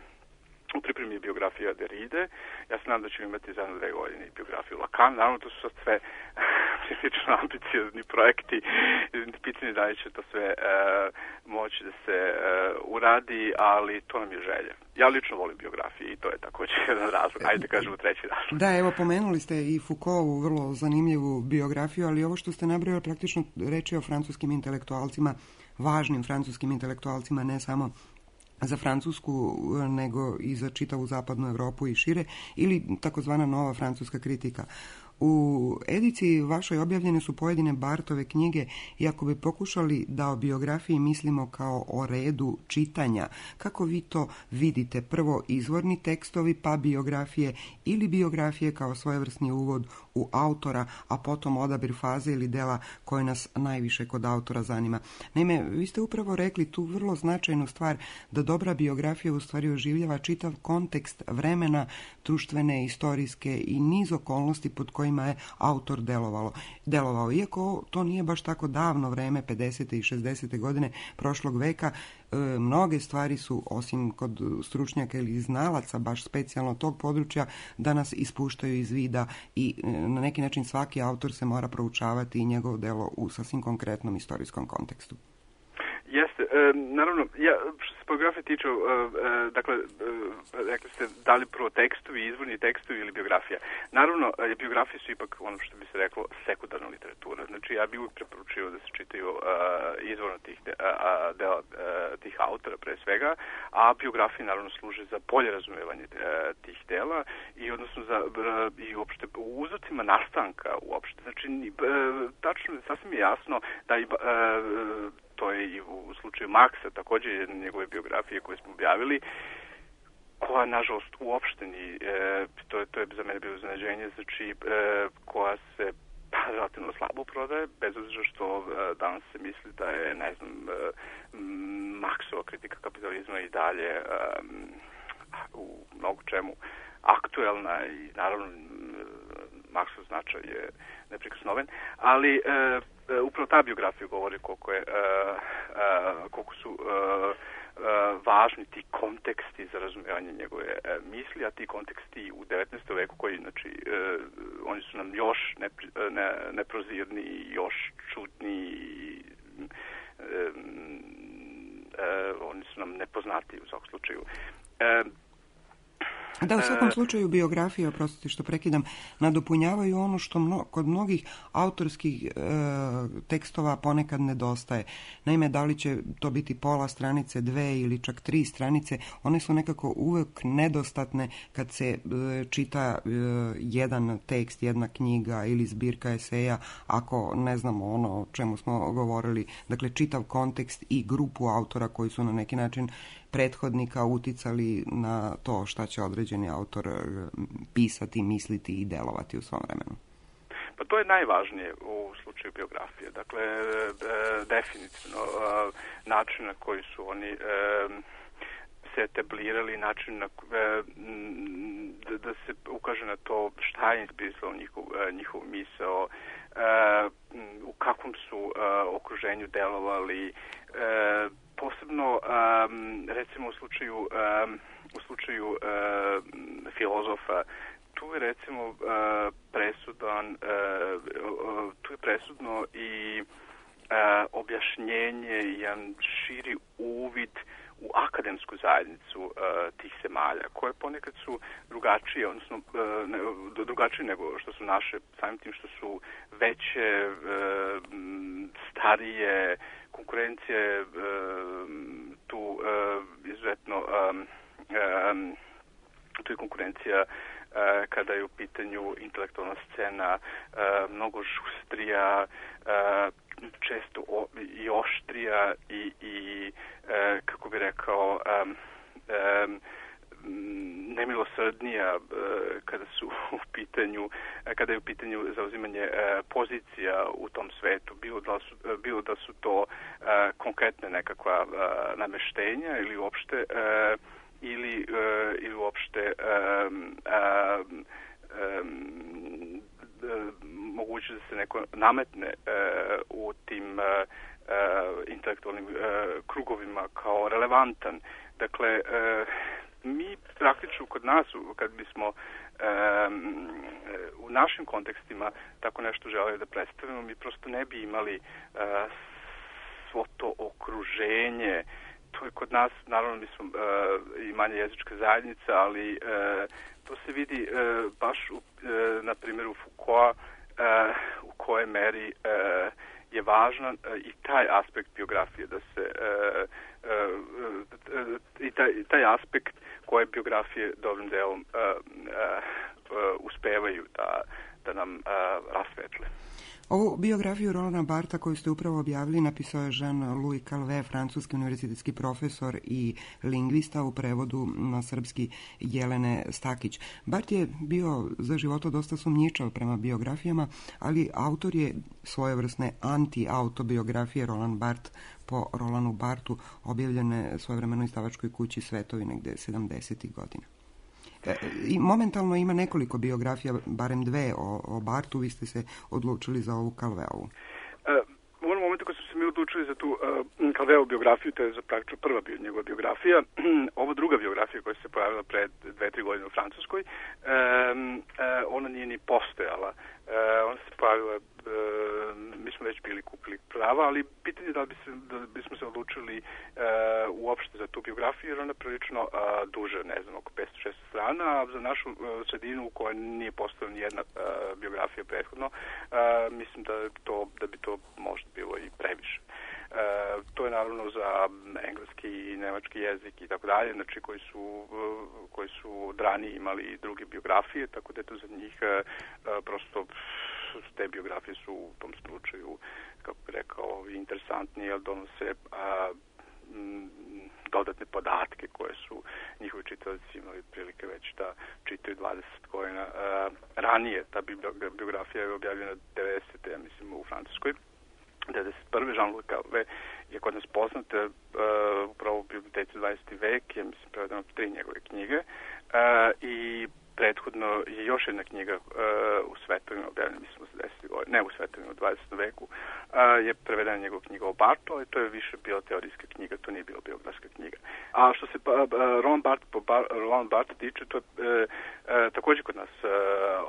U pripremi je biografija Derride. Ja se nadam da ćemo imati za jedno dve godine biografiju Lacan. Naravno, to su sad sve prilično ambiciozni projekti. Pitanje da li će to sve uh, moći da se uh, uradi, ali to nam je želja. Ja lično volim biografije i to je također jedan razlog. Ajde da kažemo treći razlog. Da, evo, pomenuli ste i Foucaultovu vrlo zanimljivu biografiju, ali ovo što ste nabrojali praktično reči o francuskim intelektualcima, važnim francuskim intelektualcima, ne samo za Francusku, nego i za čitavu zapadnu Europu i šire, ili takozvana nova francuska kritika. U ediciji vašoj objavljene su pojedine Barthove knjige i ako bi pokušali da o biografiji mislimo kao o redu čitanja, kako vi to vidite? Prvo izvorni tekstovi, pa biografije ili biografije kao svojevrsni uvod u autora, a potom odabir faze ili dela koje nas najviše kod autora zanima. Naime, vi ste upravo rekli tu vrlo značajnu stvar da dobra biografija u stvari oživljava čitav kontekst vremena, društvene, istorijske i niz okolnosti pod koje kojima je autor delovalo, delovao. Iako to nije baš tako davno vreme, pedesete i šezdesete godine prošlog veka, e, mnoge stvari su, osim kod stručnjaka ili znalaca baš specijalno tog područja, danas ispuštaju iz vida i e, na neki način svaki autor se mora proučavati i njegovo delo u sasvim konkretnom istorijskom kontekstu. Jeste, e, naravno, ja, što se biografije tiče, e, e, dakle, e, rekli ste da li prvo tekstovi, izvorni tekstovi ili biografija. Naravno, e, biografije su ipak ono što bi se reklo sekundarna literatura. Znači, ja bih uvijek preporučio da se čitaju e, izvorno tih, de, a, dela, e, tih autora pre svega, a biografije naravno služe za bolje razumevanje e, tih dela i odnosno za e, i uopšte u uzrocima nastanka uopšte. Znači, e, tačno, sasvim je jasno da i e, to je i u slučaju Marksa, također jedna njegove biografije koje smo objavili, koja, nažalost, uopšte ni, e, to, je, to je za mene bilo iznenađenje, znači, e, koja se pa, relativno slabo prodaje, bez obzira što e, danas se misli da je, ne znam, e, Marksova kritika kapitalizma i dalje e, u mnogo čemu aktuelna i, naravno, Marksov značaj je neprikosnoven, ali e, e, upravo ta biografija govori koliko, je, e, e, koliko su e, e, važni ti konteksti za razumijevanje njegove e, misli, a ti konteksti u devetnaestom veku koji, znači, e, oni su nam još nepri, ne, neprozirni, još čudni, e, e, oni su nam nepoznati u svakom slučaju. E, Da, u svakom slučaju biografije, oprostite što prekidam, nadopunjavaju ono što mno, kod mnogih autorskih e, tekstova ponekad nedostaje. Naime, da li će to biti pola stranice, dve ili čak tri stranice, one su nekako uvek nedostatne kad se e, čita e, jedan tekst, jedna knjiga ili zbirka eseja, ako ne znamo ono o čemu smo govorili, dakle čitav kontekst i grupu autora koji su na neki način prethodnika uticali na to šta će određeni autor pisati, misliti i delovati u svom vremenu. Pa to je najvažnije u slučaju biografije. Dakle, e, definitivno e, način na koji su oni e, se etablirali, način na, e, da, da se ukaže na to šta je inspirisalo njihov, njihov misao, e, u kakvom su e, okruženju delovali, e, posebno um, recimo u slučaju um, u slučaju um, filozofa, tu je recimo uh, presudan uh, uh, tu je presudno i uh, objašnjenje, jedan širi uvid u akademsku zajednicu uh, tih zemalja, koje ponekad su drugačije, odnosno uh, ne, drugačije nego što su naše, samim tim što su veće, uh, starije, konkurencija je uh, tu uh, izuzetno um, um, tu je konkurencija uh, kada je u pitanju intelektualna scena uh, mnogo žustrija, uh, često o, i oštrija i, i uh, kako bi rekao um, um, nemilosrdnija kada su u pitanju kada je u pitanju zauzimanje pozicija u tom svetu, bilo da su, bilo da su to konkretne nekakva nameštenja ili uopšte ili ili uopšte moguće da se neko nametne u tim intelektualnim krugovima kao relevantan. Dakle, mi praktično kod nas, kad bismo um, u našim kontekstima tako nešto želeli da predstavimo, mi prosto ne bi imali uh, svo to okruženje. To je kod nas, naravno, mi smo uh, i manja jezička zajednica, ali uh, to se vidi uh, baš, u, uh, na primjer, u Foucaulta, uh, u kojoj meri uh, je važan uh, i taj aspekt biografije, da se uh, uh, uh, i taj, taj aspekt koje biografije dobrim delom uh, uh, uh, uspevaju da, da nam uh, rasvetle. Ovu biografiju Rolanda Bartha koju ste upravo objavili napisao je Jean-Louis Calvet, francuski univerzitetski profesor i lingvista, u prevodu na srpski Jelene Stakić. Barth je bio za života dosta sumnjičav prema biografijama, ali autor je svojevrsne anti-autobiografije Roland Barthes po Rolandu Barthu, objavljene svojevremeno izdavačkoj kući Svetovi negde sedamdesetih godina. I momentalno ima nekoliko biografija, barem dve o, o Bartu, vi ste se odlučili za ovu Calveovu. U onom momentu kad smo se mi odlučili za tu uh, Calveovu biografiju, to je za praktično prva bio njegova biografija, ova druga biografija koja se pojavila pre dve, tri godine u Francuskoj, um, uh, ona nije ni postojala. Uh, ona se pojavila, uh, mi smo već bili kupili prava, ali pitanje je da, bi se, da bismo se odlučili uh, uopšte za tu biografiju, jer ona je prilično uh, duža, ne znam, oko petsto šesto strana, a za našu uh, sredinu u kojoj nije postojala ni jedna uh, biografija prethodno, uh, mislim da, to, da bi to možda bilo i previše. Uh, to je naravno za engleski i nemački jezik i tako dalje, znači koji su, uh, koji su drani imali druge biografije, tako da je to za njih uh, prosto te biografije su u tom slučaju, kako bih rekao, interesantnije, jer donose a, m, dodatne podatke koje su njihovi čitavci imali prilike već da čitaju dvadeset godina a, ranije. Ta biografija je objavljena devedesete. ja mislim, u Francuskoj. devedeset prve. Jean-Louis Calvet je kod nas poznat uh, upravo u biblioteci dvadeseti vek, je, mislim, prevedeno tri njegove knjige uh, i prethodno je još jedna knjiga uh, u svetovima objavljena, mislim, u desetih godina, ne u svetovima, u dvadesetom veku, uh, je prevedena njegova knjiga o Bartu, ali to je više bila teorijska knjiga, to nije bila biografska knjiga. A što se uh, Roland Barthes po Bar, Roland Barthes tiče, to je uh, uh, također kod nas uh,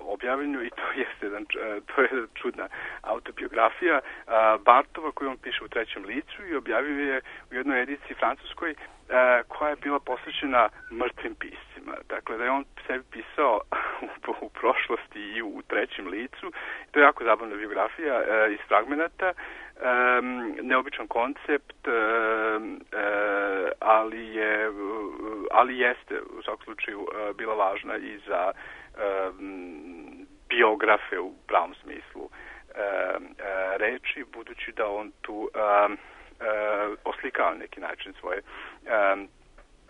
objavljeno i to jeste jedan, uh, to je čudna autobiografija uh, Bartova koju on piše u trećem licu i objavio je u jednoj ediciji francuskoj Uh, koja je bila posvećena mrtvim piscima. Dakle, da je on sebi pisao u, u prošlosti i u, u trećem licu. To je jako zabavna biografija uh, iz fragmenata, um, neobičan koncept, uh, uh, ali, je, uh, ali jeste u svakom slučaju uh, bila važna i za um, biografe u pravom smislu uh, uh, reči, budući da on tu um, Uh, oslikava na neki način svoje, uh,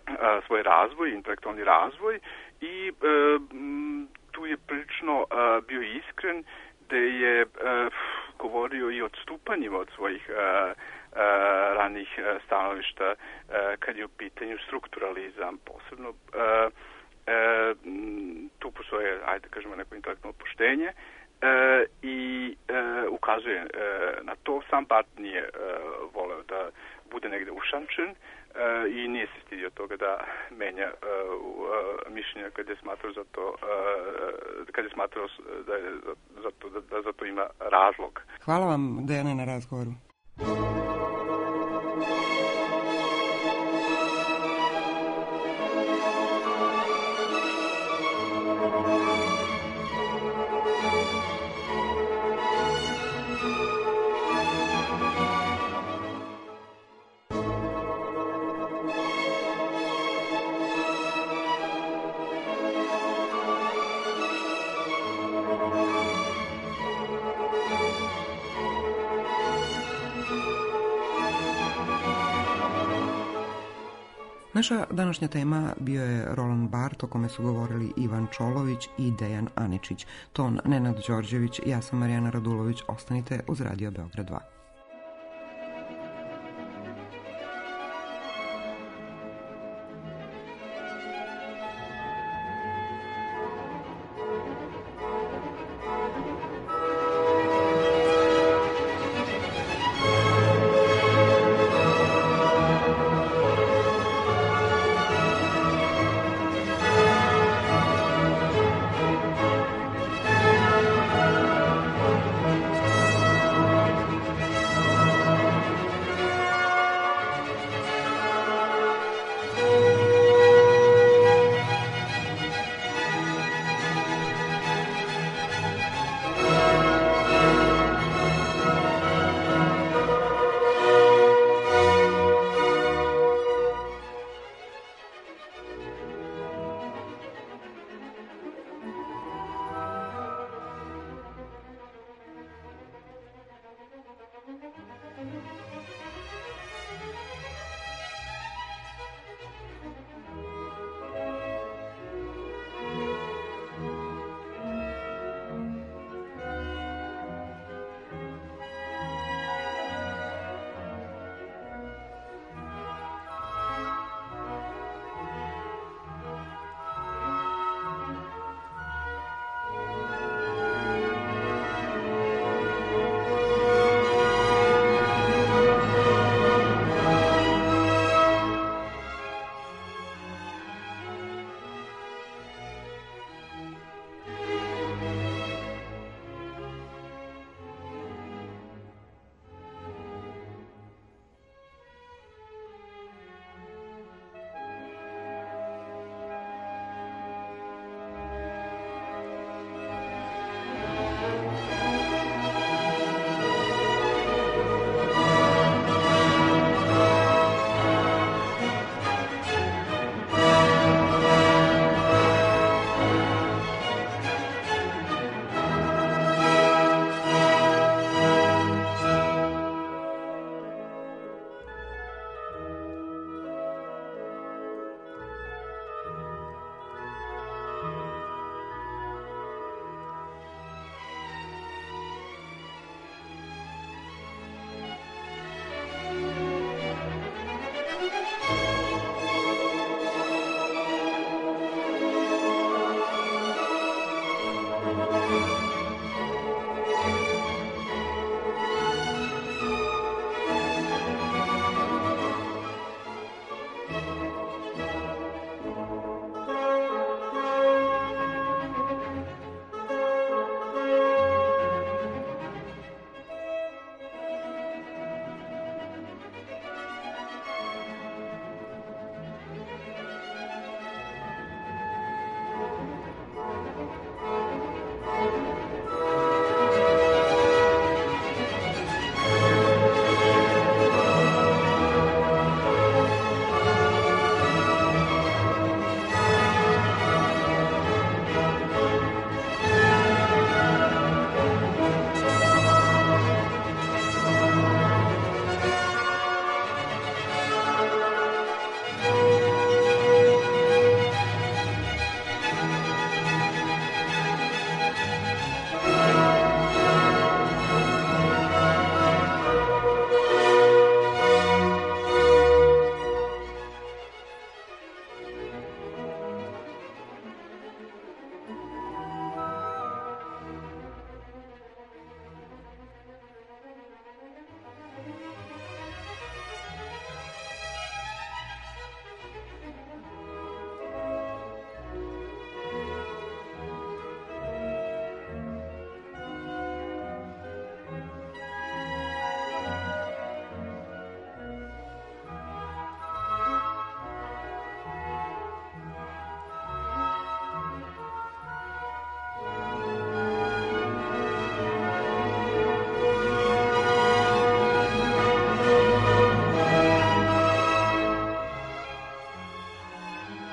uh, svoj razvoj, intelektualni razvoj i uh, m, tu je prilično uh, bio iskren da je uh, govorio i odstupanjima od svojih uh, uh, ranih uh, stanovišta uh, kad je u pitanju strukturalizam posebno. Uh, uh, tu postoje, ajde kažemo, neko intelektualno poštenje. E, i e, ukazuje e, na to. Sam Barthes nije e, voleo da bude negde ušančen e, i nije se stidio toga da menja e, e, mišljenja kad je smatrao za to, e, kad je smatrao da, je, za to, da, da za to ima razlog. Hvala vam, Dejane, na razgovoru. Naša današnja tema bio je Roland Barthes, o kome su govorili Ivan Čolović i Dejan Aničić. Ton Nenad Đorđević, ja sam Marijana Radulović. Ostanite uz Radio Beograd dva.